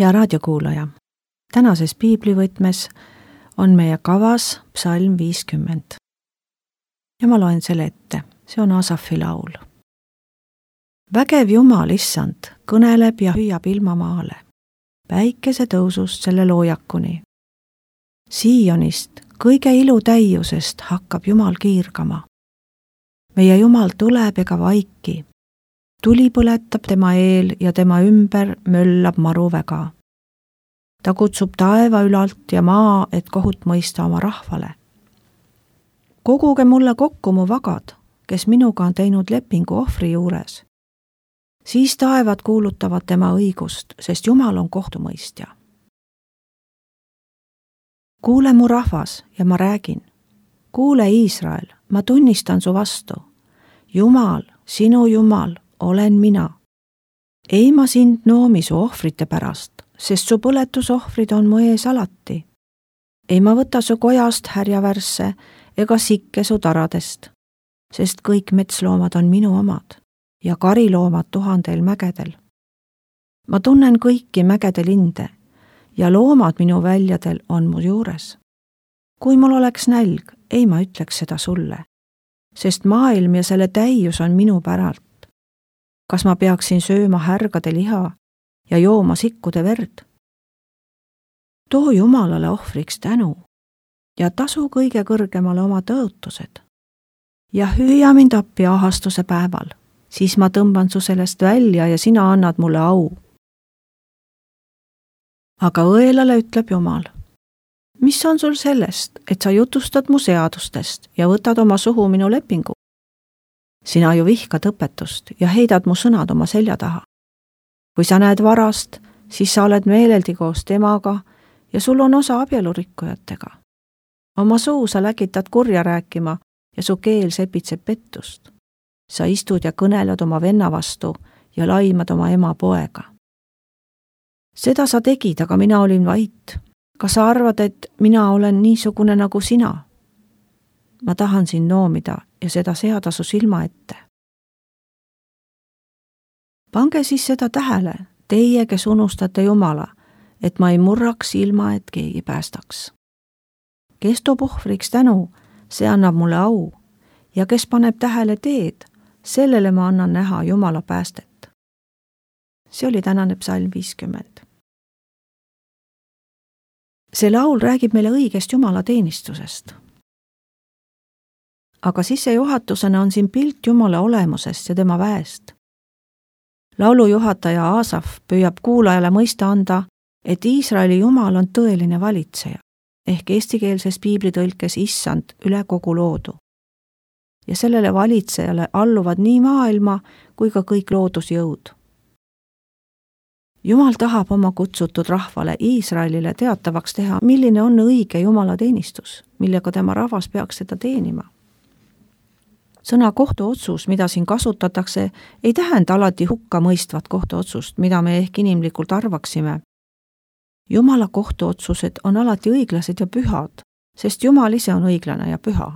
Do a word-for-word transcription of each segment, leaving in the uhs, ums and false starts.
Hea raadiokuulaja, tänases piiblivõtmes on meie kavas psalm viiskümmend. Ja ma loen selle ette, see on Asafi laul. Vägev Jumal, issand, kõneleb ja hüüab ilmamaale, päikese tõusust selle loojakuni. Siionist, kõige ilu täiusest hakkab Jumal kiirgama. Meie Jumal tuleb ega vaiki. Tuli põletab tema eel ja tema ümber möllab maruväga. Ta kutsub taeva ülalt ja maa, et kohut mõista oma rahvale. Koguge mulle kokku mu vagad, kes minuga on teinud lepingu ohvri juures. Siis taevad kuulutavad tema õigust, sest Jumal on kohtumõistja. Kuule mu rahvas ja ma räägin. Kuule Iisrael, ma tunnistan su vastu. Jumal, sinu Jumal, olen mina. Ei ma sind noomi su ohvrite pärast, sest su põletusohvrid on mu ees alati. Ei ma võta su kojast härjavärsse ega sikke su taradest, sest kõik metsloomad on minu omad ja kariloomad tuhandel mägedel. Ma tunnen kõiki mägede linde ja loomad minu väljadel on mu juures. Kui mul oleks nälg, ei ma ütleks seda sulle, sest maailm ja selle täius on minu päralt. Kas ma peaksin sööma härgade liha ja jooma sikkude verd? Too Jumalale ohvriks tänu ja tasu kõige kõrgemale oma tõotused. Ja hüüa mind appi ahastuse päeval, siis ma tõmban su sellest välja ja sina annad mulle au. Aga õelale ütleb Jumal, mis on sul sellest, et sa jutustad mu seadustest ja võtad oma suhu minu lepingu? Sina ju vihkad õpetust ja heidad mu sõnad oma selja taha. Kui sa näed varast, siis sa oled meeleldi koos temaga ja sul on osa abielurikkujatega. Oma suu sa läkitad kurja rääkima ja su keel sepitseb pettust. Sa istud ja kõneled oma venna vastu ja laimad oma ema poega. Seda sa tegid, aga mina olin vait. Kas sa arvad, et mina olen niisugune nagu sina? Ma tahan sind noomida ja seda seada su silma ette. Pange siis seda tähele, teie, kes unustate Jumala, et ma ei murraks ilma, et keegi päästaks. Kes toob ohvriks tänu, see annab mulle au, ja kes paneb tähele teed, sellele ma annan näha Jumala päästet. See oli tänane psalm viiskümmend. See laul räägib meile õigest Jumala teenistusest. Aga sissejuhatusena on siin pilt Jumala olemusest ja tema väest. Laulujuhataja Asaf püüab kuulajale mõista anda, et Iisraeli Jumal on tõeline valitseja, ehk eestikeelses piiblitõlkes issand üle kogu loodu. Ja sellele valitsejale alluvad nii maailma kui ka kõik loodusjõud. Jumal tahab oma kutsutud rahvale Iisraelile teatavaks teha, milline on õige Jumala teenistus, millega tema rahvas peaks seda teenima. Sõna kohtuotsus, mida siin kasutatakse, ei tähenda alati hukka mõistvat kohtuotsust, mida me ehk inimlikult arvaksime. Jumala kohtuotsused on alati õiglased ja pühad, sest Jumal ise on õiglane ja püha.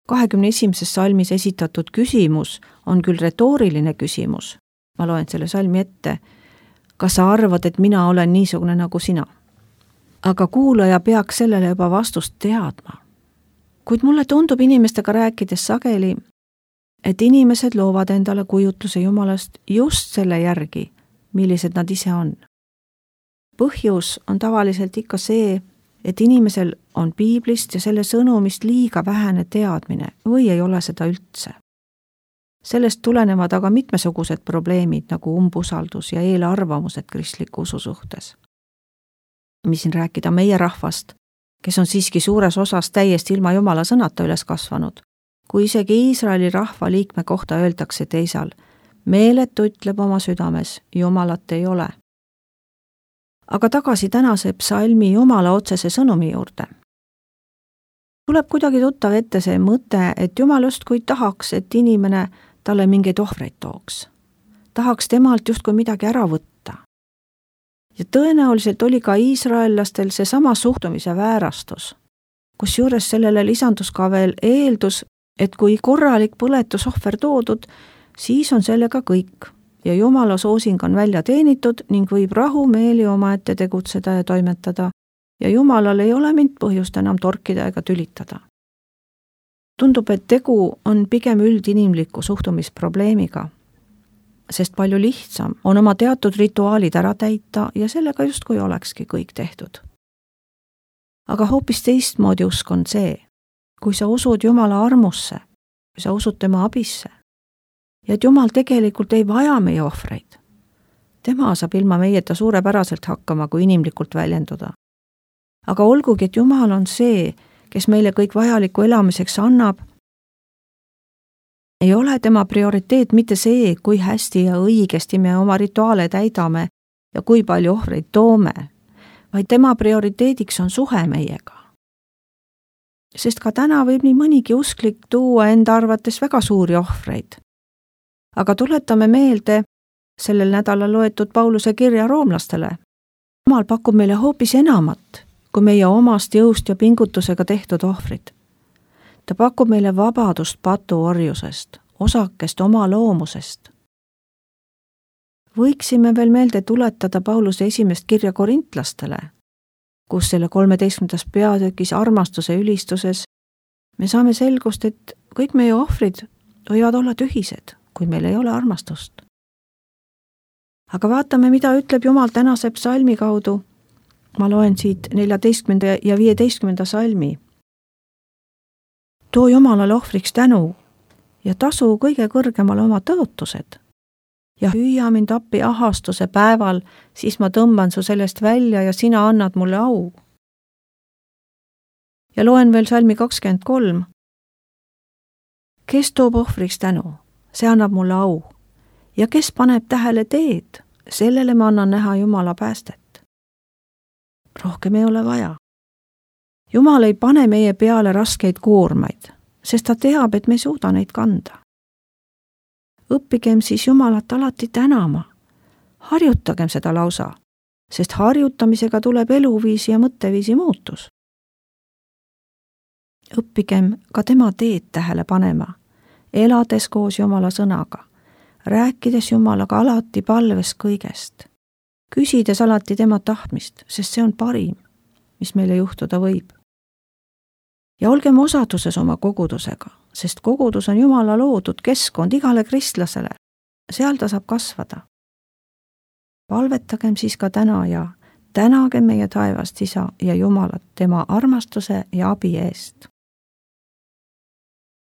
kahekümne esimeses salmis esitatud küsimus on küll retooriline küsimus. Ma loen selle salmi ette. Kas sa arvad, et mina olen niisugune nagu sina? Aga kuulaja peaks sellele juba vastust teadma. Kuid mulle tundub inimestega rääkides sageli, et inimesed loovad endale kujutluse Jumalast just selle järgi, millised nad ise on. Põhjus on tavaliselt ikka see, et inimesel on piiblist ja selle sõnumist liiga vähene teadmine või ei ole seda üldse. Sellest tulenevad aga mitmesugused probleemid nagu umbusaldus ja eelarvamused kristliku usu suhtes. Mis siin rääkida meie rahvast, kes on siiski suures osas täiesti ilma Jumala sõnata üles kasvanud, kui isegi Iisraeli rahva liikme kohta öeldakse teisal, meeletu ütleb oma südames, Jumalat ei ole. Aga tagasi tänase psalmi Jumala otsese sõnumi juurde. Tuleb kuidagi tuttav ette see mõte, et Jumal justkui tahaks, et inimene talle mingeid ohvreid tooks. Tahaks temalt justkui midagi ära võtta. Ja tõenäoliselt oli ka iisraellastel see sama suhtumise väärastus, kus juures sellele lisandus ka veel eeldus, et kui korralik põletusohver toodud, siis on sellega kõik. ja Jumala soosing on välja teenitud ning võib rahumeeli omaette tegutseda ja toimetada ja Jumalal ei ole mind põhjust enam torkida ega tülitada. Tundub, et tegu on pigem üldinimliku suhtumisprobleemiga, sest palju lihtsam on oma teatud rituaalid ära täita ja sellega justkui olekski kõik tehtud. Aga hoopis teistmoodi usk on see, kui sa usud Jumala armusse, kui sa usud tema abisse ja et Jumal tegelikult ei vaja meie ohvreid. Tema saab ilma meieta suurepäraselt hakkama, kui inimlikult väljenduda. Aga olgugi, et Jumal on see, kes meile kõik vajalikku elamiseks annab, ei ole tema prioriteet mitte see, kui hästi ja õigesti me oma rituaale täidame ja kui palju ohvreid toome, vaid tema prioriteediks on suhe meiega. Sest ka täna võib nii mõnigi usklik tuua enda arvates väga suuri ohvreid. Aga tuletame meelde sellel nädalal loetud Pauluse kirja roomlastele. Jumal pakub meile hoopis enamat kui meie omast jõust ja pingutusega tehtud ohvrid. Ta pakub meile vabadust patuorjusest, osakest oma loomusest. Võiksime veel meelde tuletada Pauluse esimest kirja korintlastele, kus selle kolmeteistkümnendas peatükis armastuse ülistuses me saame selgust, et kõik meie ohvrid võivad olla tühised, kui meil ei ole armastust. Aga vaatame, mida ütleb Jumal tänase psalmi kaudu. Ma loen siit neljateistkümnenda ja viieteistkümnenda salmi. Too Jumalale ohvriks tänu ja tasu kõige kõrgemale oma tõotused. Ja hüüa mind appi ahastuse päeval, siis ma tõmban su sellest välja ja sina annad mulle au. Ja loen veel salmi kakskümmend kolm. Kes toob ohvriks tänu, see annab mulle au. Ja kes paneb tähele teed, sellele ma annan näha Jumala päästet. Rohkem ei ole vaja. Jumal ei pane meie peale raskeid koormaid, sest ta teab, et me ei suuda neid kanda. Õppigem siis Jumalat alati tänama. Harjutagem seda lausa, sest harjutamisega tuleb eluviisi ja mõtteviisi muutus. Õppigem ka tema teed tähele panema, elades koos Jumala sõnaga, rääkides Jumalaga alati palves kõigest. Küsides alati tema tahtmist, sest see on parim, mis meile juhtuda võib. Ja olgem osaduses oma kogudusega, sest kogudus on Jumala loodud keskkond igale kristlasele. Seal ta saab kasvada. Palvetagem siis ka täna ja tänagem meie taevast Isa ja Jumalat tema armastuse ja abi eest.